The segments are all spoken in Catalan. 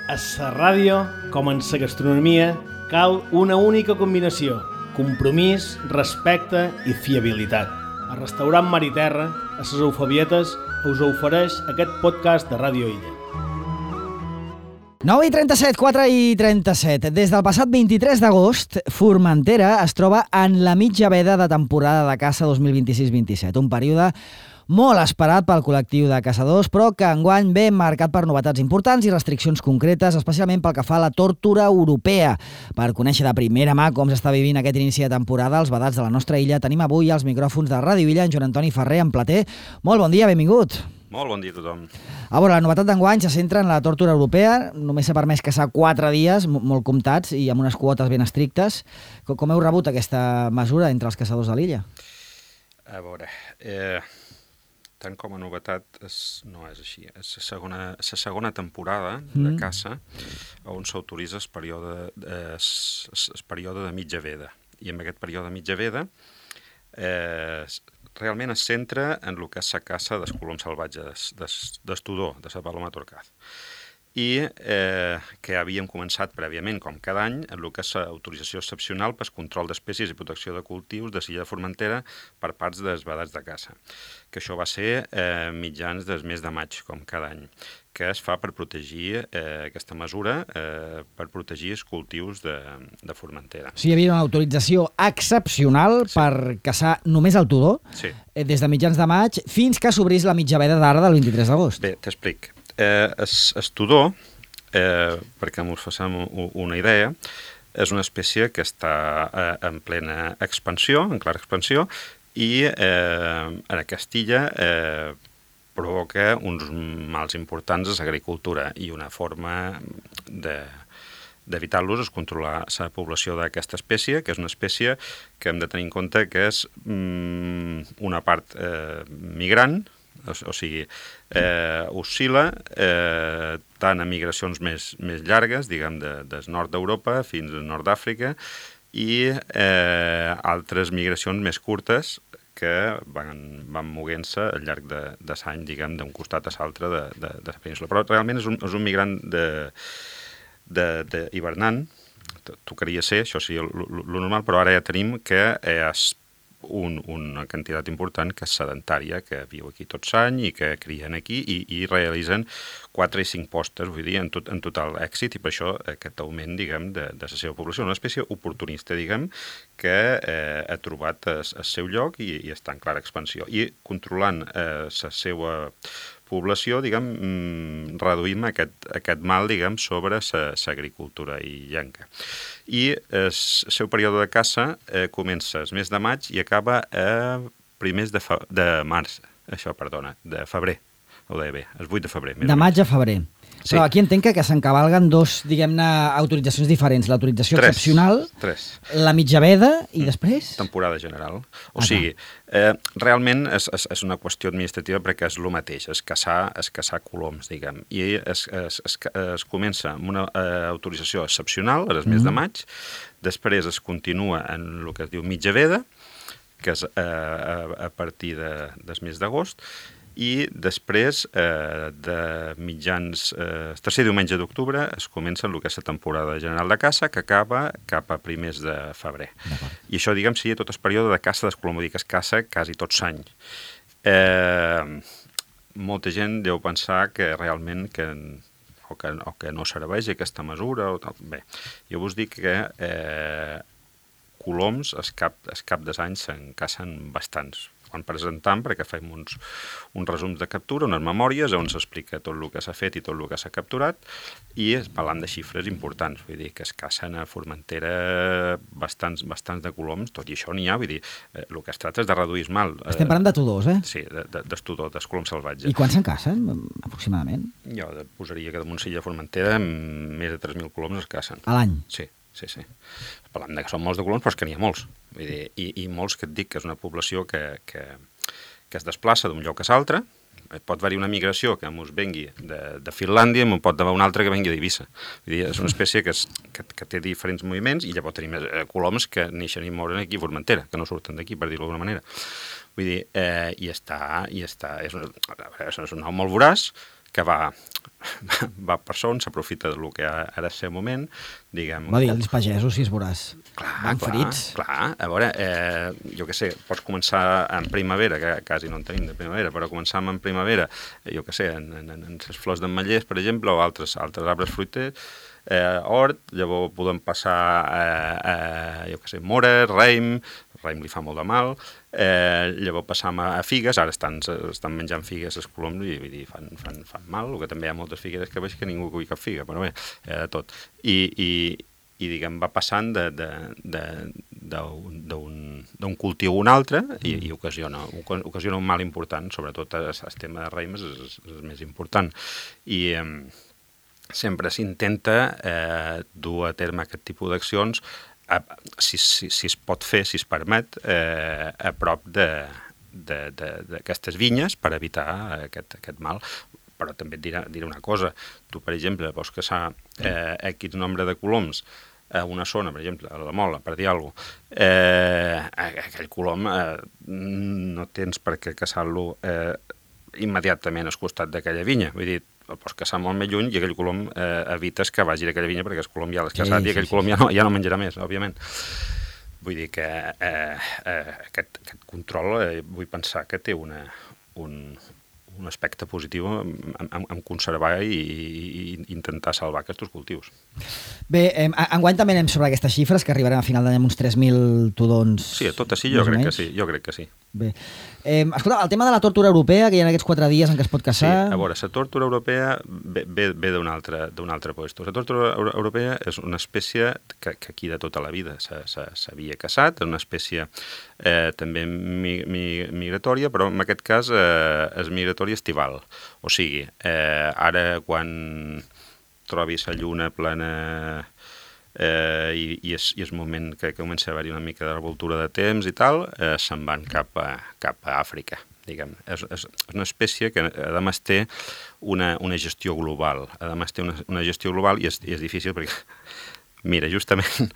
A la ràdio, com en la gastronomia, cal una única combinació: compromís, respecte i fiabilitat. El restaurant Mar i Terra, a les Eufabietes, us ofereix aquest podcast de Ràdio Illa. 9:37, 4:37. Des del passat 23 d'agost, Formentera es troba en la mitja veda de temporada de caça 2026-27, un període molt esperat pel col·lectiu de caçadors, però que enguany ve marcat per novetats importants i restriccions concretes, especialment pel que fa a la tórtora europea. Per conèixer de primera mà com s'està vivint aquest inici de temporada als vedats de la nostra illa, tenim avui als micròfons de Ràdio Illa en Joan Antoni Ferrer, en Plater. Molt bon dia, benvingut. Molt bon dia a tothom. A veure, la novetat d'enguany se centra en la tórtora europea. Només s'ha permès caçar 4 dies, molt comptats, i amb unes quotes ben estrictes. Com heu rebut aquesta mesura entre els caçadors de l'illa? A veure, tant com a novetat no és així. És la segona temporada de caça on s'autoritza el període de mitja veda. I en aquest període de mitja veda realment es centra en el que és la caça dels coloms salvatges, del tudó, de la paloma torcaz. I que havíem començat prèviament, com cada any, en el que és l'autorització excepcional per control d'espècies i protecció de cultius de l'illa de Formentera per parts dels vedats de caça, que això va ser mitjans del mes de maig, com cada any, que es fa per protegir aquesta mesura, per protegir els cultius de Formentera. O sigui, hi havia una autorització excepcional per caçar només el tudó, des de mitjans de maig fins que s'obrís la mitja veda d'ara del 23 d'agost. Bé, t'explic. El tudó, perquè ens facem una idea, és una espècie que està en plena expansió, en clara expansió, i en aquesta illa provoca uns mals importants a l'agricultura i una forma d'evitar-los és controlar la població d'aquesta espècie, que és una espècie que hem de tenir en compte que és una part migrant, o sigui, oscil·la tant a migracions més llargues, diguem, del nord d'Europa fins al nord d'Àfrica, i altres migracions més curtes que van moguent-se al llarg de l'any, diguem, d'un costat a l'altre de la península. Però realment és un migrant hivernant, tocaria ser, això sí, el normal, però ara ja tenim que és una quantitat important que és sedentària, que viu aquí tot l'any i que crien aquí i realitzen 4 i 5 postes, vull dir, en total èxit, i per això aquest augment, diguem, de la seva població. Una espècie oportunista, diguem, que ha trobat el seu lloc i està en clara expansió. I controlant la seva població, diguem, reduïm aquest mal, diguem, sobre l'agricultura illenca. I el seu període de caça comença el mes de maig i acaba a primers de febrer, ho deia bé, el 8 de febrer. De maig a febrer. Sí. Però aquí entenc que s'encavalguen dos, diguem-ne, autoritzacions diferents. L'autorització excepcional, la mitja veda i després? Temporada general. O sigui, realment és una qüestió administrativa perquè és el mateix, és caçar coloms, diguem. I es comença amb una autorització excepcional, el mes de maig, després es continua en el que es diu mitja veda, que és a partir del mes d'agost, i després, de mitjans, tercer diumenge d'octubre, es comença el que és la temporada general de caça, que acaba cap a primers de febrer. I això, diguem, seria tot el període de caça del colom, vull dir que es caça quasi tot l'any. Molta gent deu pensar que realment o que no serveix aquesta mesura. Bé, jo vos dic que coloms, el cap dels anys se'n cacen bastants. Quan presentam, perquè fem uns resums de captura, unes memòries on s'explica tot el que s'ha fet i tot el que s'ha capturat, i parlant de xifres importants, vull dir que es cacen a Formentera bastants de coloms, tot i això n'hi ha, vull dir, el que es tracta és de reduir el mal. Estem parlant de tudors, eh? Sí, del tudor, dels coloms salvatges. I quants se'n cacen, aproximadament? Jo posaria que damunt l'illa de Formentera més de 3.000 coloms es cacen. A l'any? Sí. Parlant que són molts de coloms, però és que n'hi ha molts. Vull dir, i molts que et dic que és una població que es desplaça d'un lloc a l'altre. Pot haver-hi una migració que ens vengui de Finlàndia i pot haver una altra que vengui d'Eivissa. Vull dir, és una espècie que té diferents moviments i llavors tenim coloms que neixen i moren aquí a Formentera, que no surten d'aquí, per dir-ho d'alguna manera. Vull dir, és un au molt voraç que va va per son, s'aprofita del que ara és el seu moment, diguem... Va dir, els pagesos, si es veuràs, van frits. Clar, a veure, jo què sé, pots començar en primavera, que quasi no en tenim de primavera, però començar en primavera, jo què sé, en les flors d'ametllers, per exemple, o altres arbres fruiters, hort, llavors podem passar jo què sé, mora, raïm li fa molt de mal, llavors passam a figues, ara estan menjant figues els coloms i vull dir, fan mal, el que també hi ha moltes figueres que veig que ningú cull cap figa, però bé, de tot. I diguem, va passant d'un cultiu a un altre i ocasiona un mal important, sobretot el tema de raïm és el més important. I sempre s'intenta dur a terme aquest tipus d'accions si es pot fer, si es permet, a prop d'aquestes vinyes per evitar aquest mal. Però també et diré una cosa. Tu, per exemple, vols caçar X nombre de coloms a una zona, per exemple, a la Mola, per dir alguna cosa, aquell colom no tens per què caçar-lo immediatament al costat d'aquella vinya. Vull dir, el pots caçar molt més lluny i aquell colom evites que vagi d'aquella vinya perquè el colom ja l'has caçat i aquell colom ja no menjarà més, òbviament. Vull dir que aquest control vull pensar que té un aspecte positiu en conservar i intentar salvar aquests cultius. Bé, enguany també anem sobre aquestes xifres, que arribarem a final d'any amb uns 3.000 tudons. Sí, a tot així jo crec que sí. Bé. Escolta, el tema de la tòrtora europea, que hi ha aquests 4 dies en què es pot caçar... Sí, a veure, la tòrtora europea ve d'un altre puesto. La tòrtora europea és una espècie que aquí de tota la vida s'havia caçat, és una espècie també migratòria, però en aquest cas és migratòria estival. O sigui, ara quan trobis la lluna plena i és moment que comença a haver-hi una mica de revoltura de temps i tal, se'n van cap a Àfrica, diguem. És una espècie que a més té una gestió global. A més té una gestió global i és difícil perquè, mira, justament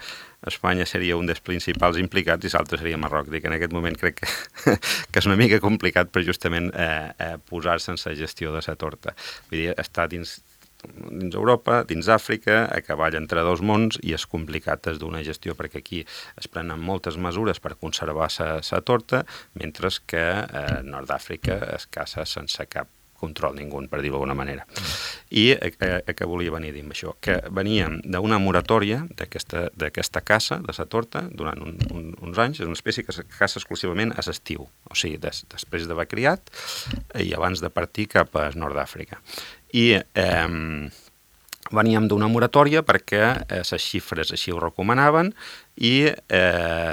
Espanya seria un dels principals implicats i l'altre seria Marroc. Dic, en aquest moment crec que és una mica complicat per justament posar-se en la gestió de la torta. Vull dir, està dins Europa, dins Àfrica, a cavall entre dos mons i és complicat des d'una gestió perquè aquí es prenen moltes mesures per conservar la torta, mentre que a Nord d'Àfrica es caça sense cap control ningú, per dir-ho d'alguna manera. I què volia venir a dir amb això? Que veníem d'una moratòria d'aquesta caça, de la torta, durant uns anys. És una espècie que es caça exclusivament a l'estiu, o sigui, després d'haver criat i abans de partir cap a Nord d'Àfrica. I veníem d'una moratòria perquè les xifres així ho recomanaven i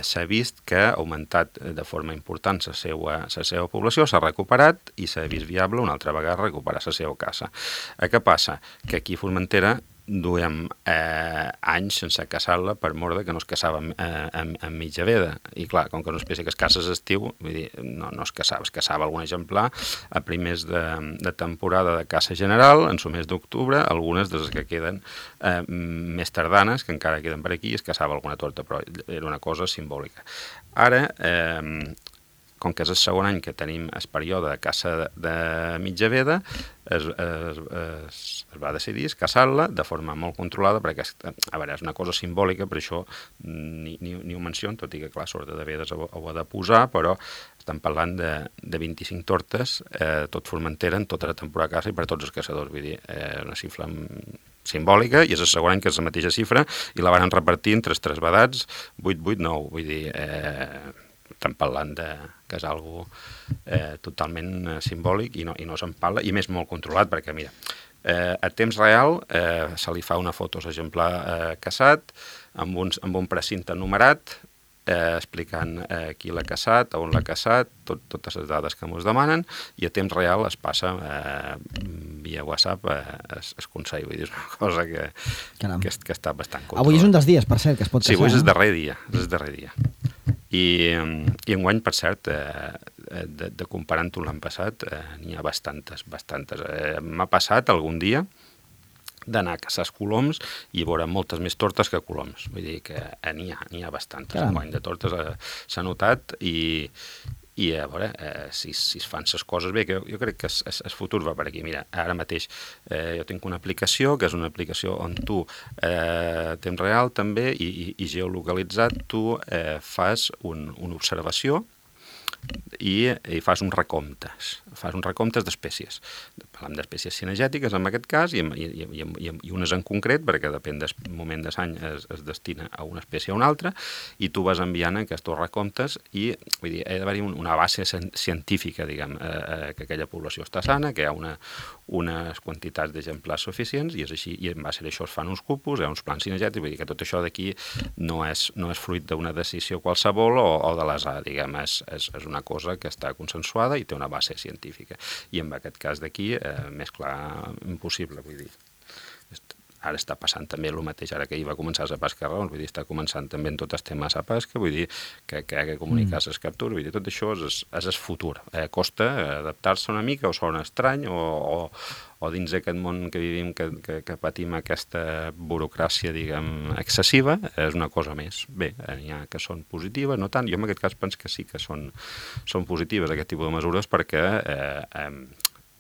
s'ha vist que ha augmentat de forma important la seva població, s'ha recuperat i s'ha vist viable una altra vegada recuperar la seva caça. Què passa? Que aquí a Formentera duem anys sense caçar-la per mort que no es caçava en mitja veda. I clar, com que és una espècie que es caça a l'estiu, vull dir, no es caçava algun exemplar a primers de temporada de caça general, en el mes d'octubre, algunes de les que queden més tardanes, que encara queden per aquí, es caçava alguna torta, però era una cosa simbòlica. Ara, com que és el segon any que tenim el període de caça de mitja veda, es va decidir caçar-la de forma molt controlada, perquè a veure, és una cosa simbòlica, per això ni ho menciono, tot i que clar, sort de vedes ho ha de posar, però estem parlant de 25 tortes, tot Formentera, en tota la temporada de caça i per tots els caçadors, vull dir, una xifra simbòlica, i és el segon any que és la mateixa xifra, i la van repartir entre els tres vedats, 8-8-9, vull dir, estem parlant que és algo totalment simbòlic i no se'n parla, i més molt controlat, perquè mira, a temps real se li fa una foto a l'exemplar caçat amb un precinte numerat explicant qui l'ha caçat, on l'ha caçat, totes les dades que ens demanen, i a temps real es passa via WhatsApp es consell, vull dir, és una cosa que està bastant controlat. Avui és un dels dies, per cert, que es pot caçar. Sí, avui és el darrer dia. I enguany, per cert, de comparant-ho l'any passat, n'hi ha bastantes. M'ha passat algun dia d'anar a caçar coloms i veure moltes més tortes que coloms. Vull dir que n'hi ha bastantes. Enguany de tortes s'ha notat i i a veure si es fan les coses bé, que jo crec que el futur va per aquí. Mira, ara mateix jo tinc una aplicació, que és una aplicació on tu temps real també i geolocalitzat tu fas una observació i fas uns recomptes d'espècies. Parlem d'espècies cinegètiques en aquest cas i unes en concret, perquè depèn del moment de l'any es destina a una espècie o a una altra, i tu vas enviant aquests recomptes i vull dir, ha d'haver-hi una base científica, diguem, que aquella població està sana, que hi ha unes quantitats d'exemplars suficients i és així, i en base a això es fan uns cupos, hi ha uns plans cinegètics, vull dir que tot això d'aquí no és fruit d'una decisió qualsevol o de l'azar, diguem, és una cosa que està consensuada i té una base científica. I en aquest cas d'aquí, més clar impossible, vull dir. Ara està passant també el mateix, ara que hi va començar la pesca raons, vull dir, està començant també en tots els temes a pesca, vull dir, que hi ha que comunicar les captures, vull dir, tot això és el futur. Costa adaptar-se una mica, o sona estrany, o dins d'aquest món que vivim, que patim aquesta burocràcia, diguem, excessiva, és una cosa més. Bé, n'hi ha que són positives, no tant. Jo en aquest cas penso que sí que són positives aquest tipus de mesures perquè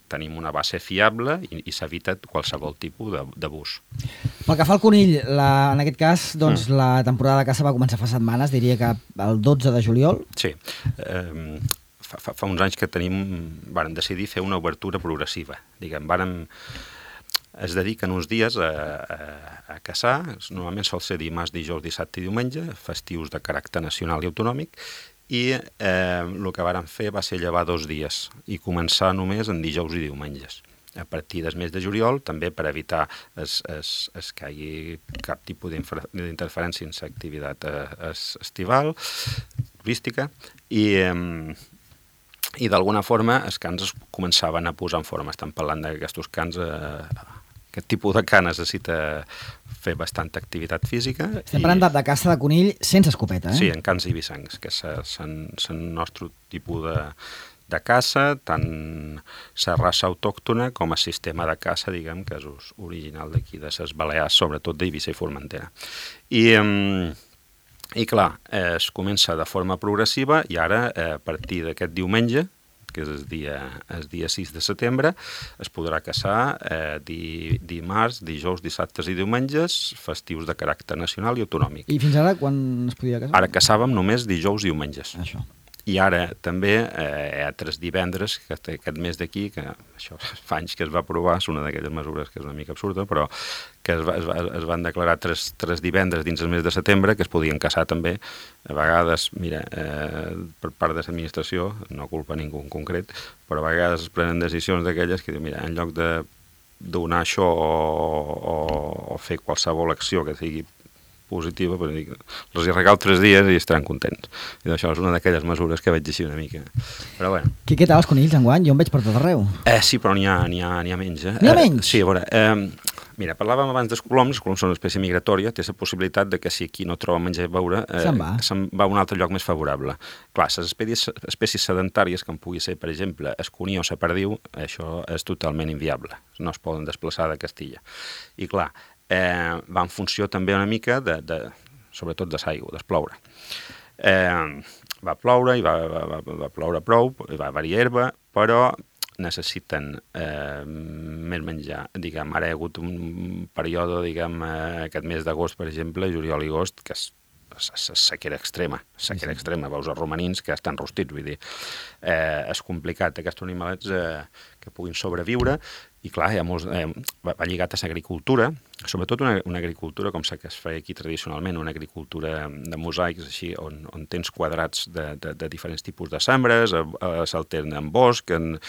tenim una base fiable i s'evita qualsevol tipus d'abús. Pel que fa al conill, en aquest cas, doncs, la temporada de caça va començar fa setmanes, diria que el 12 de juliol. Sí. Fa uns anys que vàrem decidir fer una obertura progressiva. Diguem, es dediquen uns dies a caçar, normalment sol ser dimarts, dijous, dissabte i diumenge, festius de caràcter nacional i autonòmic, i el que vàrem fer va ser llevar 2 dies i començar només en dijous i diumenges. A partir del mes de juliol, també per evitar que hi hagi cap tipus d'interferència en l'activitat estival, turística, i d'alguna forma els cans es començaven a posar en forma. Estan parlant d'aquests cans, aquest tipus de can necessita fer bastanta activitat física. Estem parlant de caça de conill sense escopeta, Sí, en cans i bissancs, que és el nostre tipus de caça, tant la raça autòctona com el sistema de caça, diguem, que és original d'aquí, de les Balears, sobretot d'Eivissa i Formentera. I clar, es comença de forma progressiva i ara, a partir d'aquest diumenge, que és el dia 6 de setembre, es podrà caçar dimarts, dijous, dissabtes i diumenges, festius de caràcter nacional i autonòmic. I fins ara quan es podia caçar? Ara caçàvem només dijous i diumenges. Això. I ara també hi ha 3 divendres, que aquest mes d'aquí, que això fa anys que es va aprovar, és una d'aquelles mesures que és una mica absurda, però que es van declarar 3 divendres dins el mes de setembre que es podien caçar també. A vegades, mira, per part de l'administració, no culpa ningú en concret, però a vegades es prenen decisions d'aquelles que diuen, mira, en lloc de donar això o fer qualsevol acció que sigui positiva, però els hi regalo 3 dies i estaran contents. I això és una d'aquelles mesures que veig així una mica. Però bueno. Què tal els conills enguany? Jo en veig per tot arreu. Sí, però n'hi ha menys. N'hi ha menys? Sí, a veure, mira, parlàvem abans dels coloms són una espècie migratòria, té la possibilitat de que si aquí no troba menjar i beure, se'n va a un altre lloc més favorable. Clar, les espècies sedentàries, com pugui ser, per exemple, el cuní o la perdiu, això és totalment inviable. No es poden desplaçar de Castilla. I clar, va en funció també una mica sobretot de l'aigua, del ploure. Va ploure i va ploure prou, va haver-hi herba, però necessiten més menjar. Diguem, ara hi ha hagut un període, diguem, aquest mes d'agost, per exemple, juliol i agost, que és sequera extrema, veus els romanins que estan rostits, vull dir, és complicat aquests animalets que puguin sobreviure, i clar, va lligat a l'agricultura, sobretot una agricultura com la que es feia aquí tradicionalment, una agricultura de mosaics, així, on tens quadrats de diferents tipus de sembres, s'alterna en bosc, en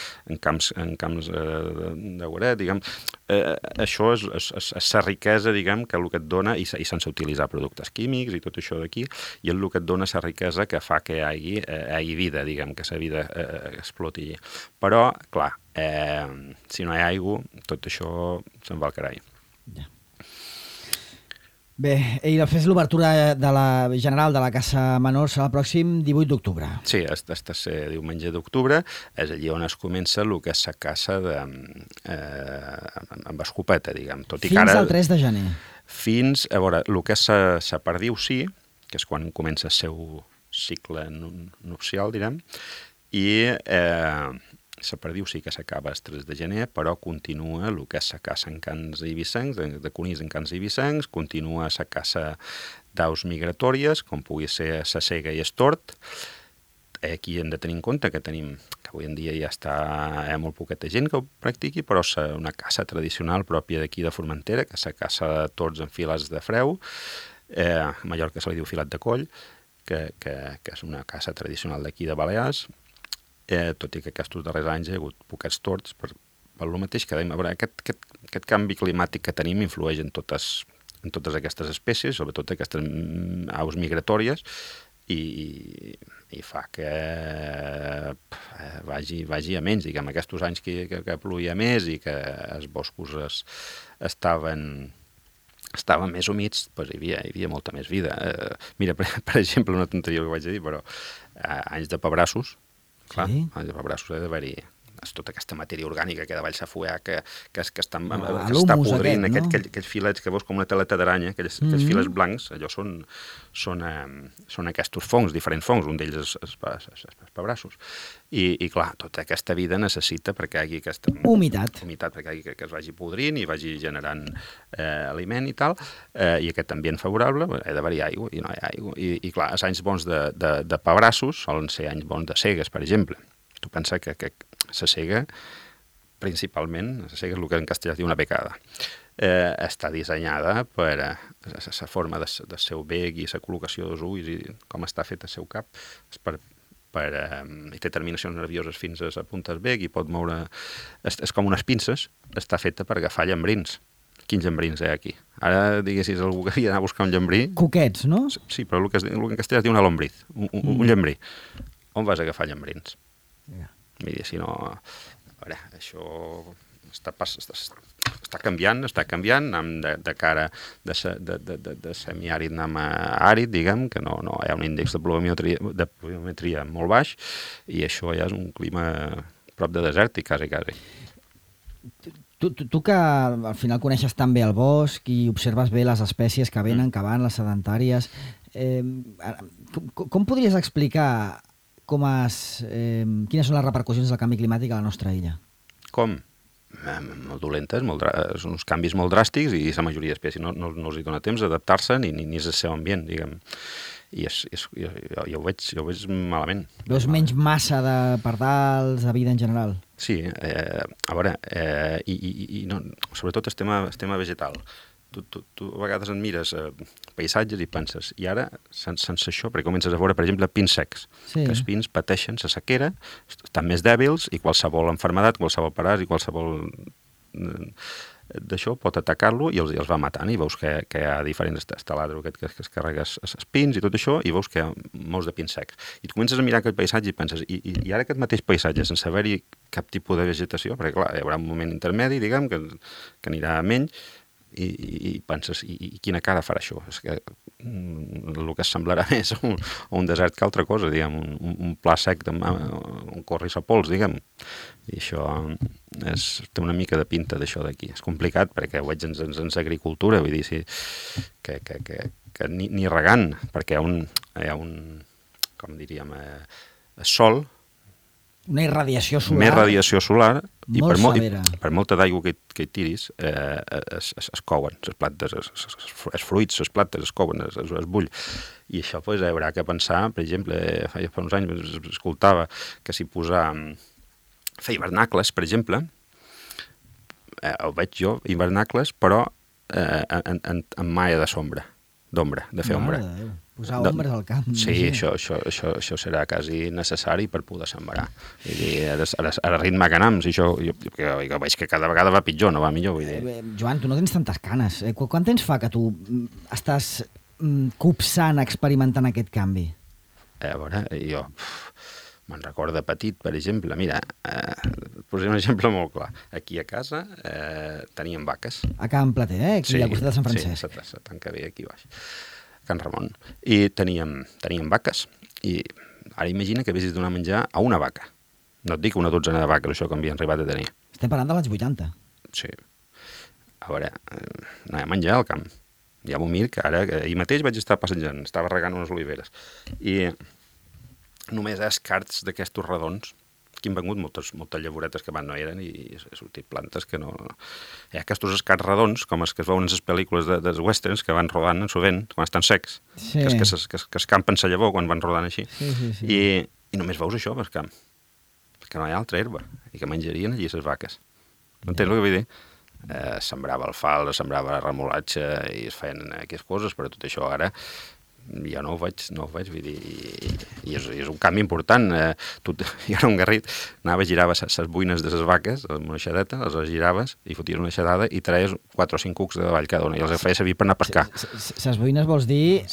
camps de guaret, diguem. Això és la riquesa, diguem, que el que et dona, i sense utilitzar productes químics i tot això d'aquí, i el que et dona la riquesa que fa que hi hagi vida, diguem, que la vida exploti. Però, clar, si no hi ha aigua, tot això se'n va al carall. Ja. Bé, i després l'obertura general de la caça menor serà el pròxim 18 d'octubre. Sí, el tercer diumenge d'octubre és allí on es comença el que és la caça amb escopeta, diguem. Fins al 3 de gener. Fins, a veure, el que és la perdiu sí, que és quan comença el seu cicle nupcial, direm, i la perdiu sí que s'acaba el 3 de gener, però continua el que és la caça en cans eivissencs, de conills en cans eivissencs, continua la caça d'aus migratòries, com pugui ser la cega i el tord. Aquí hem de tenir en compte que avui en dia ja hi ha molt poqueta gent que ho practiqui, però és una caça tradicional pròpia d'aquí de Formentera, que és la caça de tords en filats de freu, a Mallorca se li diu filat de coll, que és una caça tradicional d'aquí de Balears, tot i que aquests darrers anys hi ha hagut poquets tords per el mateix que dèiem. Aquest canvi climàtic que tenim influeix en totes aquestes espècies, sobretot aquestes aus migratòries, i fa que vagi a menys, diguem, aquests anys que plovia més i que els boscos estaven més humits, doncs hi havia molta més vida. Mira, per exemple, una tonteria que vaig dir, però anys de pebrassos, clar, anys de pebrassos ha d'haver-hi tota aquesta matèria orgànica que davall s'ha fuat, que està podrint, aquells filets que veus com una teleta d'aranya, aquells filets blancs, allò són aquests fongs, diferents fongs, un d'ells és pebrassos. I clar, tota aquesta vida necessita perquè hi hagi aquesta humitat, perquè que es vagi podrint i vagi generant aliment i tal, i aquest ambient favorable, ha d'haver-hi aigua, i no hi ha aigua. I clar, els anys bons de pebrassos solen ser anys bons de cegues, per exemple. Tu pensa que la cega, principalment, la cega és el que en castellà es diu una becada. Està dissenyada per la forma del seu bec i la col·locació dels ulls i com està fet el seu cap, i té terminacions nervioses fins a la punta del bec i pot moure... És com unes pinces, està feta per agafar llambrins. Quins llambrins hi ha aquí? Ara, diguessis, algú que havia d'anar a buscar un llambrí... Coquets, no? Sí, però el que en castellà es diu una lombriz, un llambrí. On vas a agafar llambrins? Mira, si no... A veure, això està canviant, de cara de semiàrid anem a àrid, diguem, que no hi ha un índex de pluviometria molt baix, i això ja és un clima prop de desèrtic, quasi. Tu que al final coneixes tan bé el bosc i observes bé les espècies que venen, que van, les sedentàries, com podries explicar quines són les repercussions del canvi climàtic a la nostra illa? Com? Molt dolentes, són uns canvis molt dràstics i la majoria d'espècies no els hi dona temps d'adaptar-se ni és el seu ambient, diguem. I jo ho veig malament. Veus menys massa de pardals, de vida en general? Sí, a veure, sobretot el tema vegetal. Tu a vegades en mires paisatges i penses, i ara, sense això, perquè comences a veure, per exemple, pins secs, que els pins pateixen la sequera, estan més dèbils i qualsevol malaltia, qualsevol paràsit i qualsevol d'això pot atacar-lo i els va matant, i veus que hi ha diferents taladro que es carrega els pins i tot això, i veus que hi ha molts de pins secs. I tu comences a mirar aquest paisatge i penses, i ara aquest mateix paisatge, sense haver-hi cap tipus de vegetació, perquè clar, hi haurà un moment intermedi, diguem, que anirà menys, i penses, i quina cara farà això? És que el que semblarà més un desert que altra cosa, diguem, un pla sec on corri sa pols, diguem. I això té una mica de pinta d'això d'aquí. És complicat perquè ho veig en l'agricultura, vull dir, que ni regant, perquè hi ha un com diríem, sol, una irradiació solar. Més radiació solar, i severa. Per molta d'aigua que hi tiris, es couen les plantes, els fruits, les plantes es couen, es bull. I això hi haurà que pensar, per exemple, fa uns anys escoltava que si fer hivernacles, per exemple, ho veig jo, hivernacles, però en malla d'ombra, de fer ombra. Posar ombres al camp. Sí, això serà quasi necessari per poder sembrar. Ara ritme que anem, jo veig que cada vegada va pitjor, no va millor. Joan, tu no tens tantes canes. Quant temps fa que tu estàs copsant, experimentant aquest canvi? A veure, jo me'n recordo de petit, per exemple. Mira, posem un exemple molt clar. Aquí a casa teníem vaques. A Can Plater, aquí al costat de Sant Francesc. Sí, se tanca bé aquí baix. Can Ramon, i teníem vaques, i ara imagina que haguessis de donar menjar a una vaca. No et dic una dotzena de vaques, això que havien arribat a tenir. Estem parlant dels anys 80. Sí. A veure, no hi ha menjar al camp. Ja m'ho mir que ara, ahir mateix vaig estar passejant, estava regant unes oliveres, i només escarts d'aquestos redons, que han vengut moltes llavoretes que abans no eren i ha sortit plantes que no... Hi ha aquests escarts redons, com els que es veuen en les pel·lícules dels westerns, que van rodant sovint, quan estan secs, Sí. que escampen la llavor quan van rodant així. Sí. I només veus això pel camp, perquè no hi ha altra herba, i que menjarien allí les vaques. Entens el que vull dir? Sembrava alfalfa, sembrava remolatge i es feien aquestes coses, però tot això ara ja no ho veig, vull dir, i és un canvi important. Jo era un garrit, anava, girava les buines de les vaques, amb una aixadeta, les giraves i foties una aixadada i traies 4 o 5 cucs de davall cada una i els feia servir per anar a pescar. Ses boines vols dir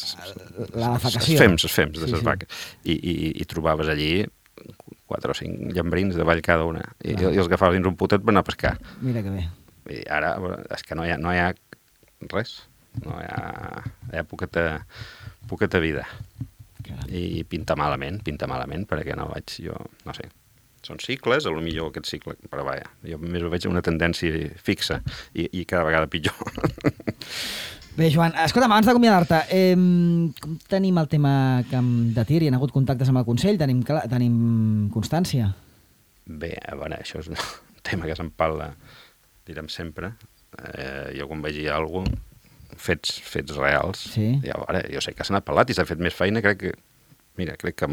la defecació? Les fems de les vaques. I trobaves allí 4 o 5 llambrins de davall cada una i els agafaves dins un potet per anar a pescar. Mira que bé. I ara és que no hi ha res, no hi ha poqueta vida. Caram. I pinta malament, perquè no vaig, jo, no sé, són cicles, potser aquest cicle, però vaja, jo més ho veig una tendència fixa i cada vegada pitjor. Bé, Joan, escolta'm, abans d'acomiadar-te, com tenim el tema camp de tir? Hi ha hagut contactes amb el Consell? Tenim constància? Bé, a veure, això és un tema que se'n parla, direm sempre. Jo quan vegi alguna cosa, fets reals, Sí. i a veure, jo sé que s'ha anat parlat i s'ha fet més feina, crec que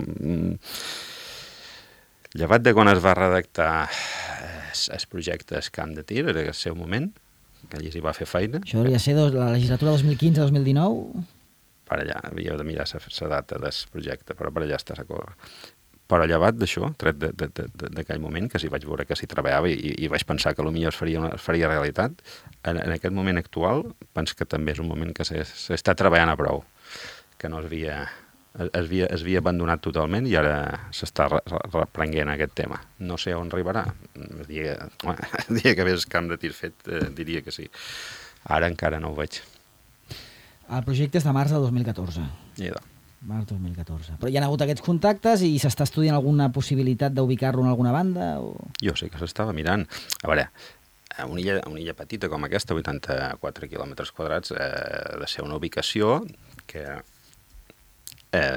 llevat de quan es va redactar el projecte Camp de Tir, era el seu moment, que allí s'hi va fer feina. Això hauria de ser la legislatura 2015-2019? Per allà, havíeu de mirar la data del projecte, però per allà està la cosa. Però llevat d'això, tret d'aquell moment, que s'hi vaig veure que s'hi treballava i vaig pensar que potser es faria realitat, en aquest moment actual, penso que també és un moment que s'està treballant a prou, que no es havia abandonat totalment i ara s'està reprenguent aquest tema. No sé on arribarà. El dia que ves camp de tir fet, diria que sí. Ara encara no ho veig. El projecte és de març del 2014. Març 2014. Però hi ha hagut aquests contactes i s'està estudiant alguna possibilitat d'ubicar-lo en alguna banda? O... Jo sé que s'estava mirant. A veure, una illa petita com aquesta, 84 quilòmetres quadrats, ha de ser una ubicació que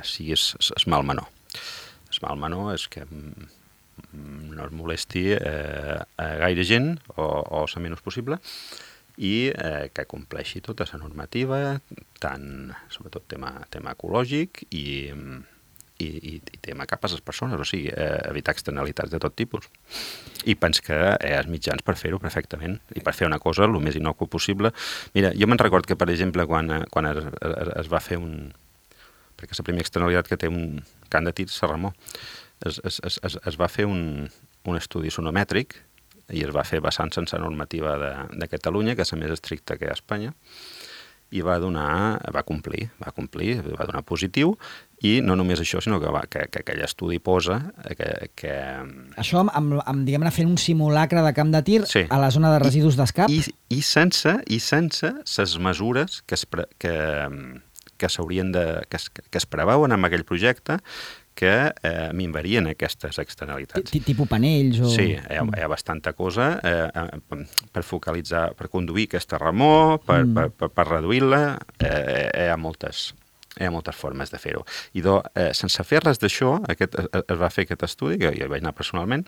sigui es mal menor. Es mal menor és que no es molesti a gaire gent o la menys possible i que compleixi tota la normativa, tant, sobretot tema ecològic i tema cap a les persones, o sigui, evitar externalitats de tot tipus. I penso que els mitjans per fer-ho perfectament i per fer una cosa el més innocua possible. Mira, jo me'n record que, per exemple, quan es va fer perquè la primera externalitat que té un camp de tir, Serramó, es va fer un estudi sonomètric i es va fer basant-se en la normativa de Catalunya, que és la més estricta que hi ha a Espanya, i va complir, va donar positiu, i no només això, sinó que aquell estudi posa que... Això diguem-ne, fent un simulacre de camp de tir sí. A la zona de residus d'escap? I sense les mesures que s'haurien que es preveuen amb aquell projecte que minvarien aquestes externalitats. Tipus panells o... Sí, hi ha bastanta cosa per focalitzar, per conduir aquesta remor, per reduir-la, hi ha moltes formes de fer-ho. I sense fer res d'això, es va fer aquest estudi, que jo vaig anar personalment,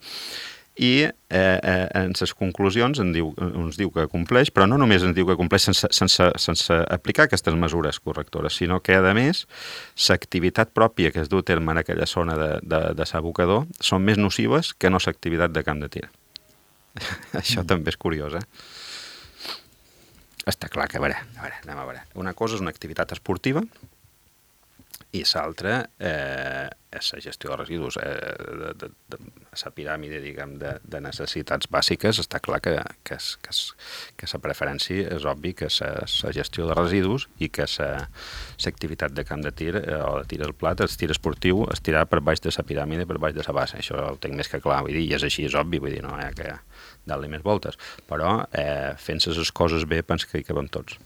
i en les conclusions ens diu que compleix, però no només ens diu que compleix sense aplicar aquestes mesures correctores, sinó que, a més, l'activitat pròpia que es du a terme en aquella zona de s'abocador són més nocives que no l'activitat de camp de tir. Això també és curiós, Està clar que, anem a veure. Una cosa és una activitat esportiva i l'altra és la gestió de residus. La piràmide, diguem, de necessitats bàsiques, està clar que la preferència és obvi que la gestió de residus i que l'activitat de camp de tir o de tir al plat, el tir esportiu, es tirarà per baix de la piràmide, per baix de la base. Això ho tinc més que clar, vull dir, i és així, és obvi, vull dir, no hi ha que dar-li més voltes. Però fent les coses bé, penso que hi cabem tots.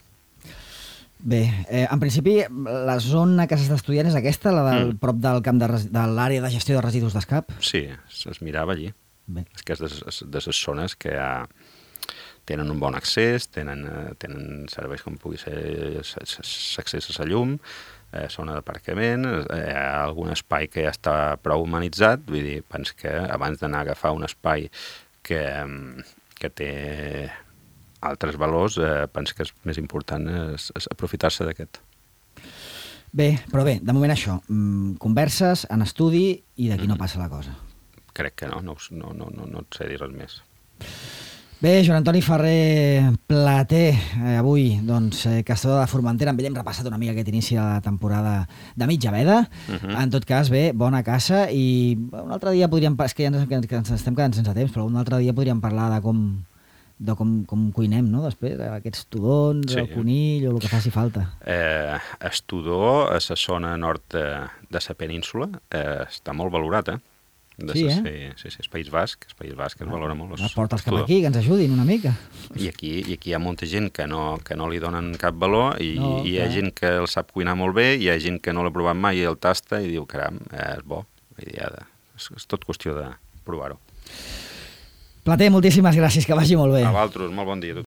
Bé, en principi, la zona que s'està estudiant és aquesta, la prop del camp de l'àrea de gestió de residus d'escap? Sí, es mirava allí. Bé. És que és de les zones que tenen un bon accés, tenen serveis com pugui ser l'accés a la llum, zona d'aparcament, algun espai que ja està prou humanitzat, vull dir, penso que abans d'anar a agafar un espai que té altres valors, penso que és més important és aprofitar-se d'aquest. Bé, però bé, de moment això, converses, en estudi i d'aquí no passa la cosa. Crec que no et sé dir res més. Bé, Joan Antoni Ferrer Plater, avui, doncs, caçador de Formentera, amb ell hem repassat una mica aquest inici de la temporada de mitja veda. En tot cas, bé, bona caça, i un altre dia podríem... És que ja ens estem quedant sense temps, però un altre dia podríem parlar de com cuinem, no?, després, aquests tudons, sí, el conill o el que faci falta. El tudó, a la zona nord de la península, està molt valorat, Sí, el País Basc es valora molt. Porta'ls cap aquí, que ens ajudin una mica. I aquí hi ha molta gent que no li donen cap valor i hi ha gent que el sap cuinar molt bé, i hi ha gent que no l'ha provat mai i el tasta i diu, caram, és bo. És tot qüestió de provar-ho. Plater, moltíssimes gràcies, que vagi molt bé. A vosaltres, molt bon dia.